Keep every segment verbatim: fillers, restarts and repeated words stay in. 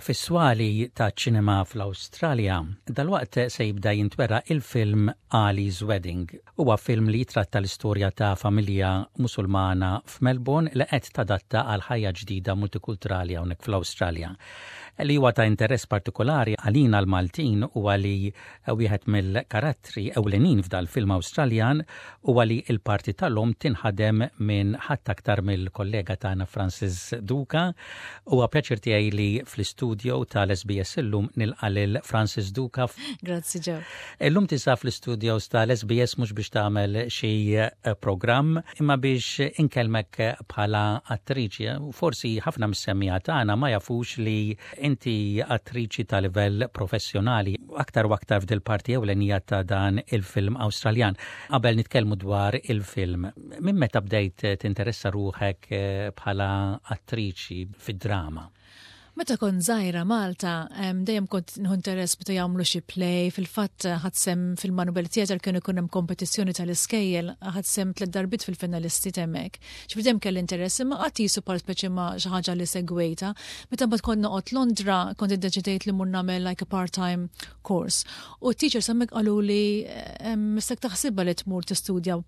Fis-swali ta' ċinema fl-Awstralja, dalwaqt se jibda jintwera il-film Ali's Wedding. Huwa film li jitratta l-istorja ta' familja Musulmana f'Melbourne li qed tadatta għal ħajja ġdida multikulturali hawnhekk fl-Awstralja. Li huwa ta' interess partikolari għalina l-Maltin huwa li wieħed mill-karattri ewlenin f'dal-film Awstraljan huwa li l-parti tal-omm tinħadem minn ħadd aktar mill-kollega tagħna Francis Duca. Huwa pjaċir tiegħi li fl-istudio tal-S B S illum nilqa' lil Francis Duca. Grazzi, Joe. Illum tinsab fl-studios tal-S B S mhux biex tagħmel xi eh, programm imma biex inkellmek bħala attriċi. Forsi ħafna mis-semmiegħa tagħna ma jafux li inti attriċi ta' livell professjonali, aktar u aktar f'dil parti ewlenija ta' dan il-film Awstraljan. Qabel nitkellmu dwar il-film, minn meta bdejt tinteressa ruħek eh, bħala attriċi fid-drama? Meta kont żgħira Malta, dejjem kont nieħu interess meta jagħmlu xi play, fil-fatt ħadt sehem fil-Manuel Theatre, kienu jkun hemm kompetizzjoni tal-iskejjel, ħadt sehem tliet darbiet fil-finalisti hemmhekk. Ġifieri dejjem kelli interess, imma qatt jisu part speċi ma xi ħaġa li segwejta. Meta mbagħad kont noqgħod Londra, kont iddeċidejt li mmur nagħmel like a part-time course. U t-teachers hemmhekk qalu li mistek taħsibha li tmur tistudja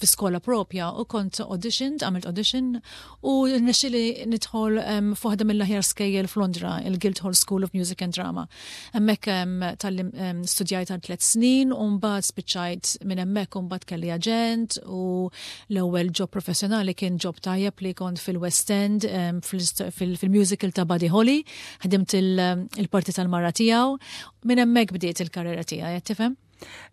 fi skola propja u kont auditioned, għamilt audition u rnexxieli nidħol um, f'waħda mill-aħjar skejjel f'Londra, il-Guildhall School of Music and Drama. Hemmhekk um, tal um, studjajt għal tliet snin u mbagħad spiċċajt minn hemmhekk u mbagħad kelli aġent u l-ewwel job professjonali kien job tajjeb li kont fil-West End um, fil-musical ta' Buddy Holly, ħdimt il-parti tal-mara tiegħu. Minn hemmhekk bdiet il-karriera tiegħi, tifhem?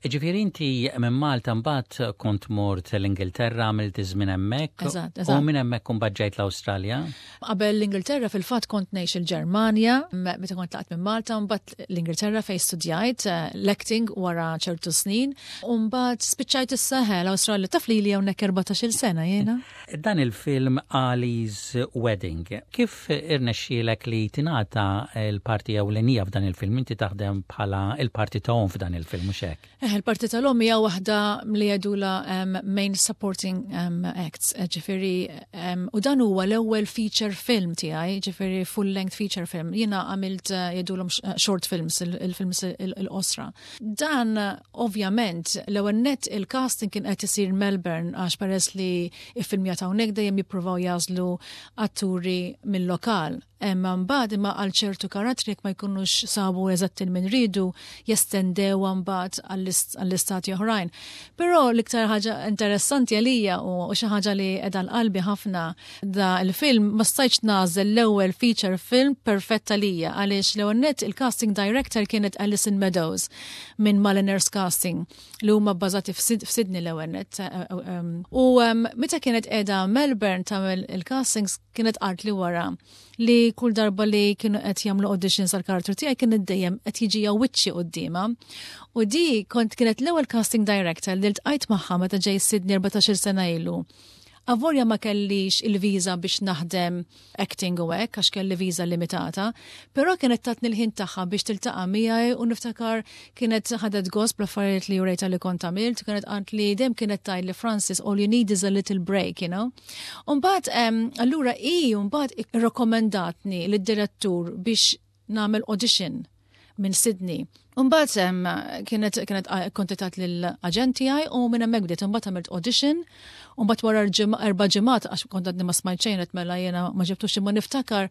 Ġifieri inti minn Malta mbagħad kont mort l-Ingilterra, għamilt żmien hemmhekk u minn hemmhekk imbagħad ġejt l-Awstralja? Qabel l-Ingilterra fil-fatt kont ngħix il-Ġermanja, meta kont tlaqt minn Malta, mbagħad l-Ingilterra fejn studjajt eh, l-acting wara ċertu snin, u mbagħad spiċċajt is-saħel l-Awstralja, taf li li hawnhekk erbatax-il sena jiena. Dan il-film Ali's Wedding, kif irnexxielek li tingħata l-parti ewlenija f'dan il-film? Inti taħdem bħala il-parti ta' f'dan il-film, mhux hekk? Eh, il-parti tal-omm hija waħda li jgħidula um, main supporting um, acts, eh, ġifieri, um, u dan huwa l-ewwel feature film tiegħi, ġifieri full length feature film. Jiena għamilt uh, jgħidulhom short films, il-films il-qosra. Dan ovvjament l-ewwel net il-casting kien qed isir Melbourne għax peress li iffilmjat hawnhekk dejjem jippruvaw jagħżlu atturi mill-lokal. Imma mbagħad imma għal ċertu karattri, jekk ma jkunux sabu eżatt min ridu, jestendew mbagħad għall-istati oħrajn. Però l-iktar ħaġa interessanti għalija u xi ħaġa li qiegħda qalbi ħafna da il-film, ma stajtx nagħżel l-ewwel feature film perfetta lija għaliex l-ewwel net il-casting director kienet Alison Meadows minn Maliners Casting li huma bbażati f'Sydney l-ewwel net. U meta kienet qiegħda Melbourne tagħmel il-castings, kienet qalt li wara li kull darba li kienu qed jagħmlu auditions għal karattru tiegħi kien dejjem qed jiġi wiċċi quddiemha. U di kont kienet l-ewwel casting director li ltqajt magħha meta ġej Sydney erbatax-il sena ilu. Avolja ma kellix il-viża biex naħdem acting u hekk, għax kelli viża limitata, però kienet tatni l-ħin tagħha biex tiltaqa' miegħi u niftakar kienet ħadet gost bl-affarijiet li urejta li kont għamilt, kienet qalt li dejjem kienet tgħid li, "Francis, all you need is a little break, you know. Umbagħad allura i mbagħad irrakkomendatni lid-direttur biex nagħmel audition minn Sydney. Umbagħad kienet kienet kontattat lill-aġent tiegħi u minn hemmhekk bdiet. Imbagħad għamilt audition u mbagħad wara erba' ġimgħat, għax kont għadni ma smajt xejn, mela jiena ma ġibtux, imma niftakar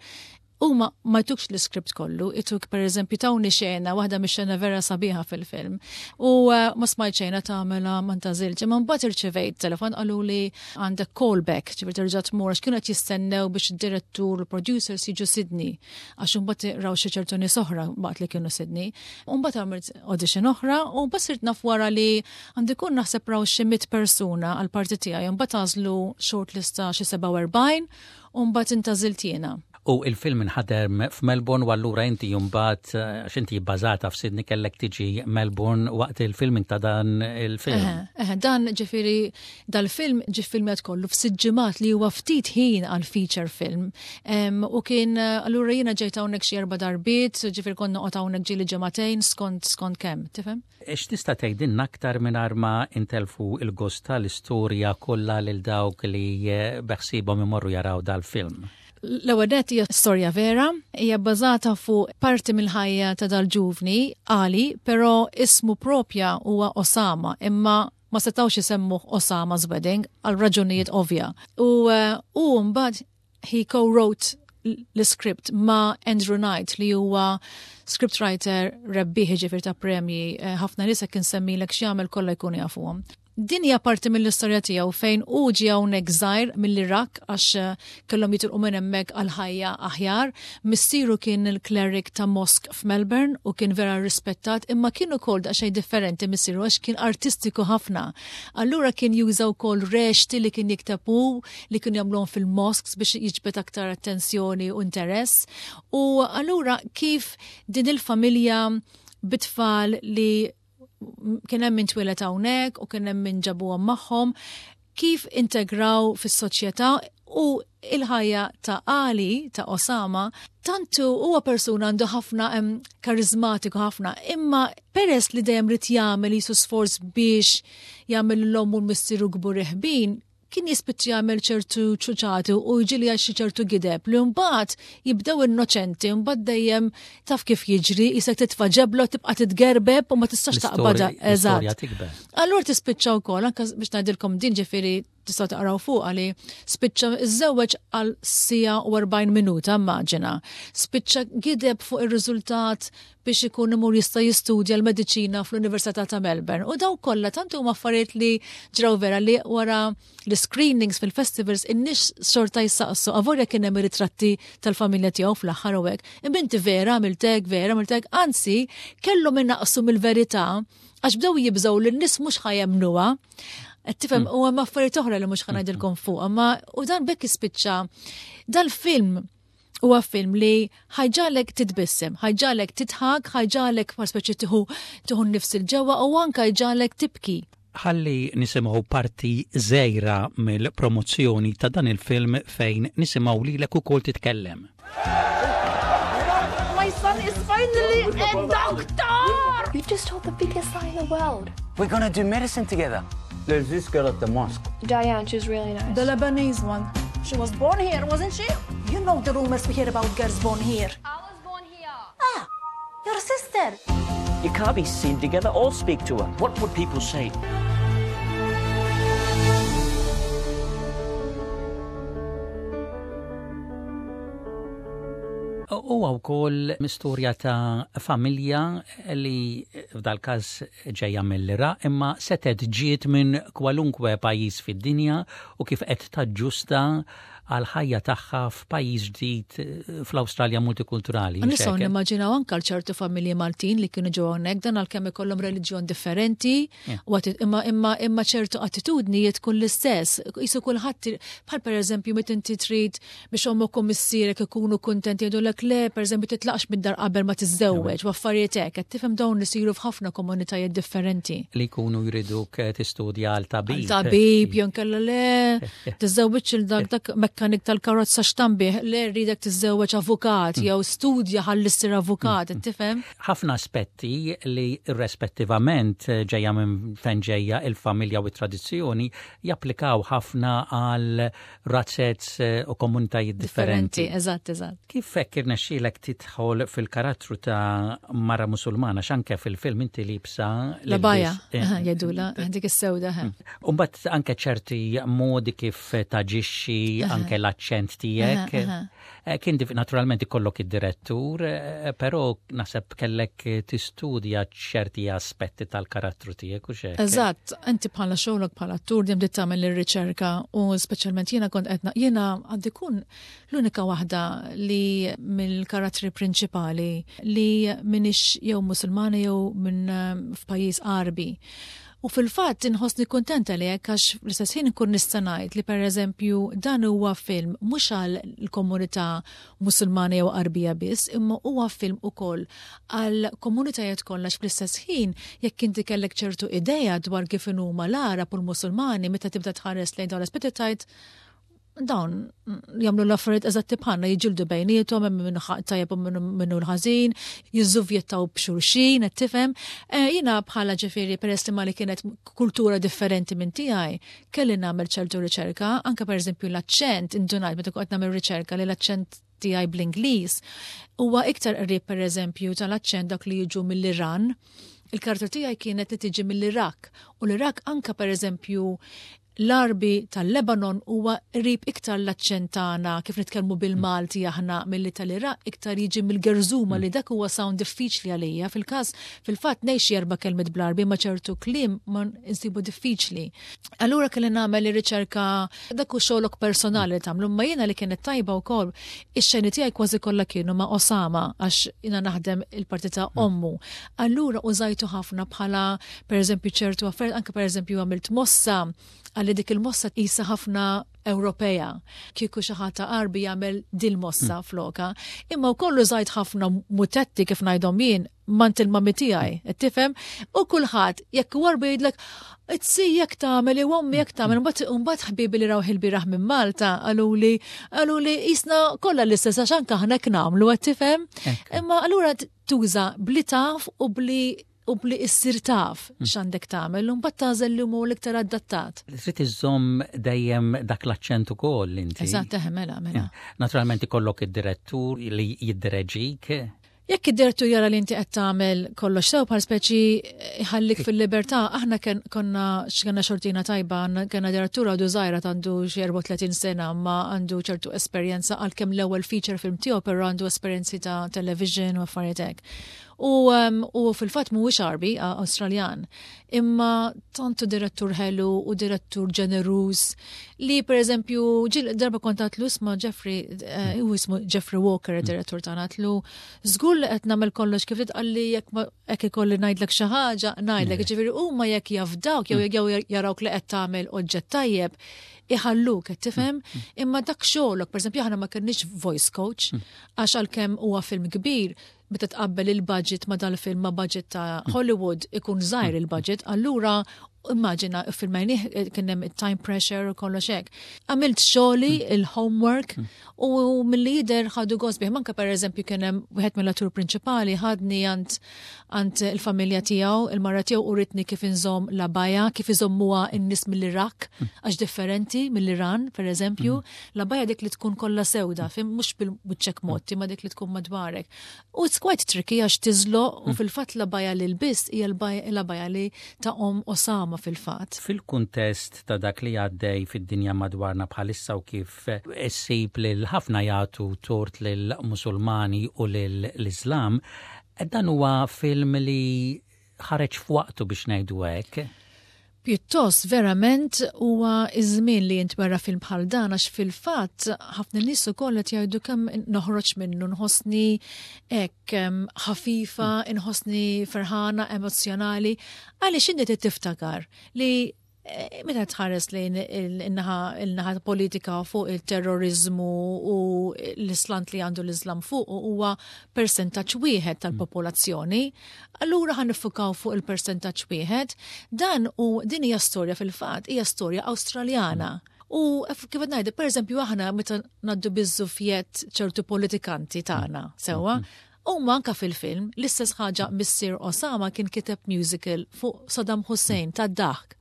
huma ma jtukx l-iskript kollu, ituk per eżempju tawni xena, waħda mix xena vera sabiħa fil-film. U uh, ma smajt xejn tagħmela, ma ntgħażiltx, imma mbagħad irċevejt telefon, qalu li għandek callback, ġifieri terġa' tmur, għax kienu qed jistennew biex id-direttur u producers jiġu Sydney, għax imbagħad raw xi ċertu nies oħra waqt li kienu Sydney. U mbagħad għamilt audition oħra u mbagħad sirt naf wara li għandi kun naħseb raw xi mitt persuna għal parti tiegħi, mbagħad għażlu shortlist ta' xi sebgħa u erbgħin u mbagħad intgħażilt jiena. U il-film inħadem f'Melbourne u allura inti mbagħad, għax inti bbażata f'Sydney, kellek tiġi Melbourne waqt il-filming ta' dan il-film. Eh, dan ġifieri dal-film ġi filmat kollu f'sitt ġimgħat, li huwa ftit ħin għal feature film. U kien allura jiena ġejt hawnhekk xi erba' darbiet, ġifieri konna noqgħod hawnhekk ġieli ġimagħtejn skont skont kemm, tifhem? X'tista' tgħidilna aktar mingħajr ma intelfu il-gost tal-istorja kollha lil dawk li beħsiebhom imorru jaraw dal-film? L-ewwel nett hija storja vera, hija bbażata fuq parti mill-ħajja ta' dal-ġuvni Ali, però ismu propja huwa Osama, imma ma setawx isemmuh Osama's Wedding għal raġunijiet ovvja. U u mbagħad he co-wrote l-script ma' Andrew Knight, li huwa scriptwriter rebbieħ ġifier ta' premji, ħafna nies kien semmilek x'jagħmel kollha jkunu jafuhom. Din hija parti mill-istorja tiegħu fejn hu ġie hawnhekk żgħir mill-Iraq għax kellhom jitilqu minn hemmhekk għal ħajja aħjar. Missieru kien il-cleric ta' mosque f'Melbourne u kien vera rispettat, imma kien ukoll daqsxejn differenti missieru għax kien artistiku ħafna. Allura kien juża wkoll rexti li kien jikteb hu li kien jagħmluhom fil-mosques biex jiġbed aktar attenzjoni u interess. U allura kif din il-familja bit-tfal li kien hemm min twieled hawnhekk u kien hemm min ġabuhom magħhom, kif integraw fis-soċjetà u il-ħajja ta' Ali, ta' Osama, tantu huwa persuna għandu ħafna karizmatiku ħafna, imma peress li dejjem rid jagħmel jisu sforz biex jagħmel l-omm u l-missieru kbur ħbin, kien jispiċċa jagħmel ċertu ċuċati u jiġi għal xi ċertu gideb li mbagħad jibdew innoċenti, mbagħad dejjem taf kif jiġri, isek titfa' ġebla tibqa' titgerbeb u ma tistax taqbadha. Eżatt. Allura tispiċċa wkoll anke biex ngħidilkom din ġifieri tistgħu taqraw fuq li spiċċa iżżewweġ għal sija u erbgħin minuta, immaġina. Spiċċa gideb fuq ir-riżultat biex ikun imur jista' jistudja l-mediċina fl-Università ta' Melbourne. U daw kollha tant huma affarijiet li ġraw vera li wara l-screenings fil-festivals in-nies xorta jissaqsu avolja kien hemm ritratti tal-familja tiegħu fl-aħħar u hekk. Imma inti vera għamiltek, vera għamiltek, anzi kellhom innaqsu mill-verità għax bdew jibżgħu li n-nies mhux ħa jemmnuha. Qed tifhem, u hemm affarijiet oħra li mhux ħa ngħidilkom fuq, imma u dan bekk jispiċċa dal-film huwa film li ħa jġagħlek titbissem, ħa jġagħlek tidħak, ħa jġagħlek par speċi tieħu tieħu nnifs il-ġewwa u anke jġagħlek tibki. Ħalli nisimgħu parti żgħira mill-promozzjoni ta' dan il-film fejn nisimgħu lilek ukoll titkellem. My son is finally a doctor! You've just told the biggest lie in the world. We're gonna do medicine together. There's this girl at the mosque. Diane, she's really nice. The Lebanese one. She was born here, wasn't she? You know the rumors we hear about girls born here. I was born here. Ah, your sister. You can't be seen together or speak to her. What would people say? Huwa wkoll istorja ta' familja li f'dal każ ġejja mill-Iraq imma setet ġiet minn kwalunkwe pajjiż fid-dinja u kif qed taġġusta għal ħajja tagħha f'pajjiż ġdid fl-Awstralja multikulturali. Nistgħu nimmaġinaw anke ċertu familji Maltin li kienu ġew hawnhekk dan għalkemm ikollhom reliġjon differenti, imma imma imma ċertu attitudnijiet tkun l-istess. Qisu kulħadd bħal pereżempju meta inti trid biex ommok u missierek ikunu kuntenti jgħidulek le, pereżempju titlaqx mid-dar qabel ma tiżżewweġ u affarijiet hekk, qed tifhem dawn li isiru f'ħafna komunitajiet differenti. Li jkunu jriduk tistudja għal tabib. Għal tabib, jew inkella le, tiżżewweġ il dak dak mekkanik tal-karozza x'tambih, le rridek tiżżewweġ avukat jew studja ħalli ssir avukat, tifhem? Ħafna aspetti li irrispettivament ġejja minn fejn ġejja il-familja u t-tradizzjoni japplikaw ħafna għal razzez u komunitajiet differenti. Eżatt, eżatt. Kif hekk irnexxielek tidħol fil-karattru ta' mara Musulmana x'anke fil-film inti libsa l-abaja, jgħidula, dik is-sewda. U mbagħad anke ċerti modi kif taġixxi, anke l-aċċent tiegħek. Kien naturalment ikollok id-direttur, però naħseb kellek tistudja ċerti aspetti tal-karattru tiegħek u x'hekk. Eżatt, inti bħala xogħlok bħala attur dejjem trid tagħmel ir-riċerka u speċjalment jiena kont qed jiena għandi kun l-unika waħda li mill-karattri prinċipali li minix jew Musulmana jew minn f'pajjiż Għarbi. U fil-fatt inħossni kuntenta li hekk għax fl-istess ħin inkun nista' ngħid li pereżempju dan huwa film mhux għal l-komunità Musulmana jew Għarbija biss, imma huwa film ukoll għal komunitajiet kollha fl-istess ħin jekk inti kellek ċertu idea dwar kif huma l-Għarab u l-Musulmani meta tibda tħares lejn dawn l-aspetti tgħid Dawn jagħmlu l-affarijiet eżatti bħalna, jiġġieldu bejniethom, hemm minnu tajjeb u minnu l-ħażin, jiżżuvjettaw b'xulxin, qed tifhem. Eh, jiena bħala, ġifieri, peress li ma li kienet kultura differenti minn tiegħi, kelli nagħmel ċertu riċerka, anke pereżempju l-aċċent, indunajt meta kont nagħmel riċerka li l-aċċent tiegħi bl-Ingliż huwa iktar qrib, pereżempju, tal-aċċent dak li jiġu mill-Iran. Il-karattru tiegħi kienet li tiġi mill-Irak u l-Irak, anka pereżempju l-Arbi tal-Lebanon, huwa qrib iktar l-aċċent tagħna kif nitkellmu bil-Malti aħna milli tal-Iraq, iktar jiġi mill-Gerżuma, li dak huwa sound diffiċli għalija. Fil-każ fil-fatt ngħix erba' kelmiet bl-Arbi, ma ċertu kliem ma insibu diffiċli. Allura kelli nagħmel ir-riċerka, dak hu xogħolok personali li tagħmlu, ma jiena li kienet tajba wkoll, ix-xeni tiegħi kważi kollha kienu ma' Osama għax jiena naħdem il-parti ta' ommu. Allura użajtu ħafna bħala, pereżempju, ċertu affarijiet, anke pereżempju għamilt mossa għalli dik il-mossa qisha ħafna Ewropea. Kieku xi ħadd Arbi jagħmel dil-mossa mm. floka. Imma wkoll użajt ħafna mutetti, kif ngħidhom jien, mant il-mami tiegħi, qed tifhem? U kulħadd jekk huwa Arbi jgħidlek, "Tsi jekk tagħmel, jew ommi jekk tagħmel." Mbagħad ħbibi li rawh il-bieraħ minn Malta qaluli qaluli qisna kollha l-istess għax anke aħna hekk nagħmlu, qed tifhem? Imma allura tuża bli taf u bli u bli issir taf mm. x'għandek tagħmel u mbagħad tagħżel li hu l-iktar adattat. Trid iżżomm dejjem dak l-aċċent ukoll inti. Eżatt, mela, mela. Naturalment ikollok id-direttur li jiddireġik. Jekk id-direttur jara li inti qed tagħmel kollox sew, bħal speċi ħallik fil-libertà, aħna konna x'kellna xortina tajba, kellna direttur għadu żgħira, għandu xi erbgħa u tletin sena, ma għandu ċertu esperjenza, għalkemm l-ewwel feature film tiegħu, però għandu esperjenzi ta' television u affarijiet hekk. U, um, u fil-fatt mhuwiex Arbi, Awstraljan, imma tantu direttur ħelu u direttur ġeneruż li pereżempju ġil darba kont għedtlu ma' Jeffrey, uh, u jismu Jeffrey Walker, direttur tagħna, għedtlu, "Żgur li qed nagħmel kollox kif trid?" Qalli, "Jekk hekk ikolli ngħidlek xi ħaġa, ngħidlek." Mm. Ġifieri huma jekk jafdawk jew jew jarawk li qed tagħmel oġġett tajjeb, iħalluk, qed tifhem, mm. imma dak xogħolok. Pereżempju, aħna ma kenniex voice coach, għax għalkemm huwa film kbir, meta tqabbel il-budget ma dal-film ma budget ta' Hollywood, ikun żgħir il-budget, allura immaġina filmajnih, eh, kien hemm time pressure u kollox hekk. Għamilt xogħli, il-homework, u mill jidher ħadu gost bih. Manka pereżempju kien hemm wieħed mill-attur prinċipali ħadni għand għand il-familja tiegħu, il-mara tiegħu uritni kif inżomm l-abaja, kif iżommuha n-nies mill-Iraq, għax differenti mill-Iran, pereżempju, l-abaja dik li tkun kollha sewda, fhimt, mhux bil-wiċċek motti, ma dik li tkun madwarek. U it's quite tricky għax tiżloq, u fil-fatt l-abaja li lbist hija l-abaja li ta' om Osama fil-fatt. Fil-kuntest ta' dak li għaddej fid-dinja madwarna bħalissa u kif issib lil ħafna jagħtu tort lil Musulmani u lill-Islam, dan huwa film li ħareġ f'waqtu, biex ngħidu hekk. Pjuttost verament huwa iż-żmien li jintwera film bħal dan, għax fil-fatt ħafna nies ukoll qed jgħidu kemm noħroġ minnu nħossni hekk ħafifa, inħossni ferħana, emozzjonali, għaliex inti tiftakar li eh, meta tħares lejn il-naħa politika fuq il-terrorizmu u l-islant li għandu l-Islam fuq, huwa percentaġġ wieħed tal-popolazzjoni, allura ħa niffukaw fuq il-percentaġġ wieħed. Dan u din hija storja, fil-fatt hija storja Awstraljana. U kif qed ngħidu, pereżempju, aħna meta ngħaddu biż-żufjett ċertu politikanti tagħna, sewwa, u anka fil-film, l-istess ħaġa, missier Osama kien kiteb musical fuq Saddam Hussein ta' daħk.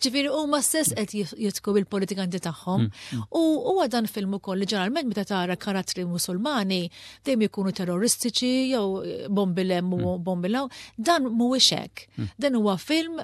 Ġifieri huma stess qed jidħku bil-politikanti tagħhom. Mm, mm. U huwa dan film ukoll li ġeneralment meta tara karattri Musulmani dejjem ikunu terroristiċi jew bombi 'l hemm u mm. bombi 'l hawn. Dan mhuwiex hekk. Dan huwa film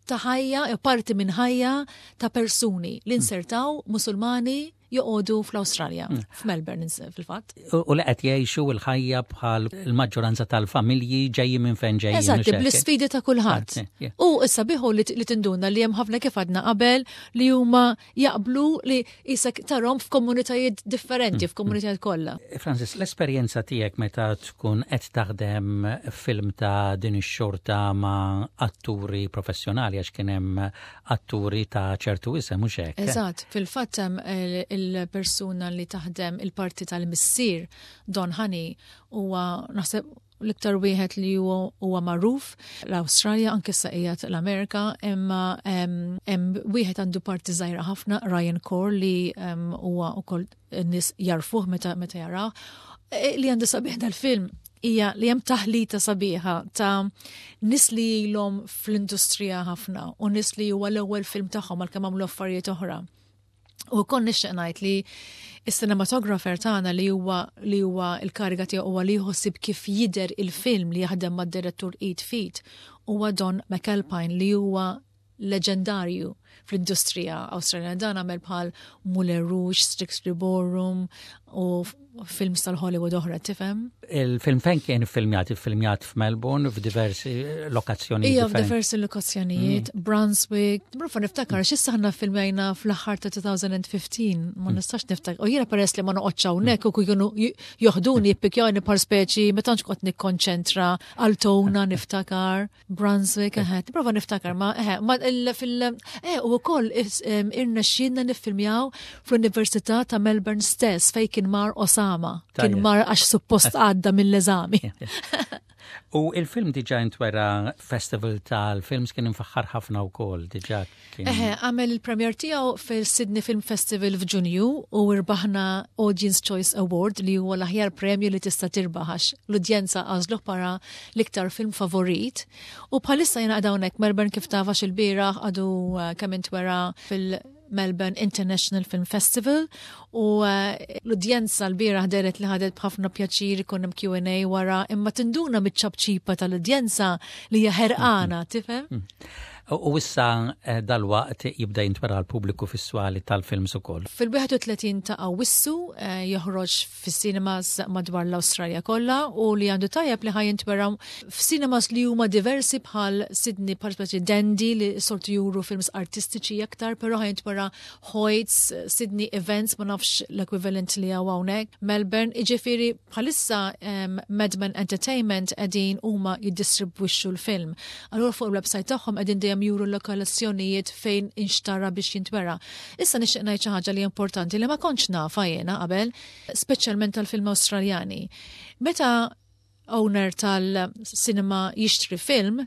ta' ħajja, parti minn ħajja ta' persuni li insertaw Musulmani joqogħdu fl-Awstralja, mm. f'Melbourne fil-fatt. U li qed jgħixu l-ħajja bħal il-maġġoranza tal-familji ġejjin minn fejn ġejjin. Eżatt, bl-isfidi ta' kulħadd. U issa biħu li tinduna li hemm ħafna, kif għadna qabel, li huma jaqblu li qisek tarahom f'komunitajiet differenti, mm. f'komunitajiet kollha. Francis, l-esperjenza tiegħek meta tkun qed taħdem film ta' din ix-xorta ma' atturi professjonali, għax kien hemm atturi ta' ċertu isem, mhux hekk? Eżatt, fil-fatt hemm il-persuna li taħdem il-parti tal-missier, Don Honey, huwa naħseb L-iktar wieħed li huwa magħruf l-Awstralja, anke sa qiegħed l-Amerika, imma hemm wieħed għandu parti żgħira ħafna, Ryan Corr, li huwa wkoll n-nies jarfuh meta meta jaraw. E, li għandu sabiħ dal-film hija li hemm taħlita sabiħa ta' nies li ilhom fl-industrija ħafna u nies li huwa l-ewwel film tagħhom, għalkemm għamlu affarijiet oħra. U kon nixtieq ngħid li is-cinematographer tagħna, li huwa li huwa l-kariga tiegħu huwa li jħossib kif jidher il-film, li jaħdem mad-direttur id f'id, huwa Don McAlpine, li huwa leġendarju fl-industrija Awstraljana. Dan għamel bħal Moulin Rouge, Strictly Ballroom u films tal-Hollywood oħra, tifhem? Il-film fejn kien filmjat? Filmjat f'Melbourne, f'diversi lokazzjonijiet? Ija, f'diversi lokazzjonijiet, mm. Brunswick, Brufa niftakar, x'issa ħna filmjajna fl-aħħar ta' elfejn u ħmistax, ma mm. nistax niftakar. U jiena peress li ma noqgħodx hawnhekk u kienu joħduni, jippikjawni par speċi, ma tantx kont nikkonċentra. Altona niftakar, Brunswick, eħe, prova niftakar, ma eħe, ma fil eh, u wkoll irnexxielna niffilmjaw fl-Università ta' Melbourne stess, fej kien mar Osama. Kien mar għax suppost għadda mill-eżami. U il-film diġa intwera festival tal-films, kien infaħħar ħafna wkoll diġa kien. Eħe, għamel il-premier tiegħu fil-Sydney Film Festival f'Ġunju u irbaħna Audience Choice Award, li huwa l-aħjar premju li tista' tirbaħ għax l-udjenza għażluh para l-iktar film favorit. U bħalissa jiena hawnhekk Melbourne, kif taf, il-bieraħ għadu eh, kemm intwera fil- Melbourne International Film Festival u eh, l-udjenza l-bieraħ dehret li ħadet b'ħafna pjaċir. Ikun hemm Q and A wara, imma tinduna miċ-ċapċipa tal-udjenza li hija ħerqana, tifhem? Mm. U issa eh, dal-waqt jibda jintwera l-pubbliku fis-swali tal-films ukoll. Fil-wieħed u tletin ta' Awwissu eh, joħroġ fis-cinemas madwar l-Awstralja kollha u li għandu tajjeb li ħa jintwera f'cinemas li huma diversi bħal Sydney, bħal speċi Dendy, li soltu juru films artistiċi aktar, però ħa jintwera Hoyts, Sydney Events, ma nafx l-equivalent li hawn hawnhekk, Melbourne, iġifieri bħalissa um, Madman Entertainment qegħdin huma jiddistribwixxu l-film. Allura fuq il-website tagħhom qegħdin dejjem juru l-lokazzjonijiet fejn inxtara biex jintwera. Issa nixtieq ngħid xi ħaġa li importanti li ma kontx nafa jiena qabel, speċjalment tal-film Awstraljani. Meta owner tal-cinema jixtri film,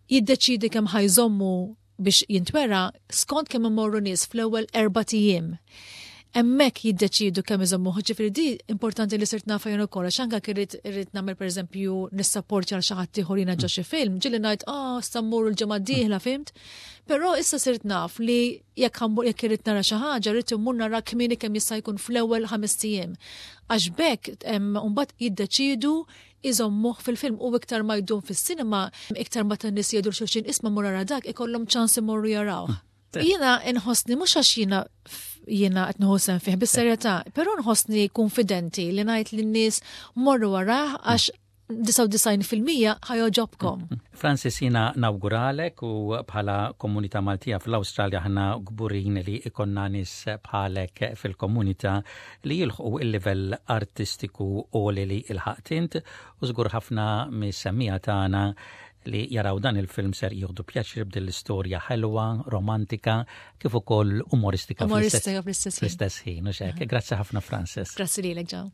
jiddeċidi kemm ħa jżommu biex jintwera skont kemm imorru nies fl-ewwel erbat ijiem. Hemmhekk jiddeċidu kemm iżommu. Ġifieri di importanti li sirt nafa jien ukoll, għax anke irrid irrid nagħmel, pereżempju, nissapporti għal xi ħadd ieħor jiena ġo xi film, ġieli ngħid, "Ah, sa mmur il-ġimgħa d-dieħla," fhimt? Però issa sirt naf li jekk jekk irrid nara xi ħaġa, rrid immur nara kmieni kemm jista' jkun, fl-ewwel ħames ijiem. Għax bekk mbagħad jiddeċidu iżommuh fil-film, u iktar ma jdum fis-sinema, iktar ma tan-nies jgħidu xulxin, "Isma', mur ara dak," ikollhom ċans imorru jaraw. Jiena nħossni, mhux għax jiena jiena qed nieħu sehem fih, bis-serjetà, però nħossni konfidenti li ngħid lin-nies morru warah għax disgħa u disgħin fil-mija ħa jogħġobkom. Francis, jiena nawguralek u bħala komunità Maltija fl-Awstralja ħna kburin li ikollna nies bħalek fil-komunità li jilħqu il-livell artistiku u li li ilħaqt int, u żgur ħafna mis-semmiegħa tagħna li jaraw dan il-film ser jieħdu pjaċir b'din l-istorja ħelwa, romantika, kif ukoll umoristika. Umoristika fl-istess ħin. Grazzi ħafna, Francis. Grazzi lilek, ġaw.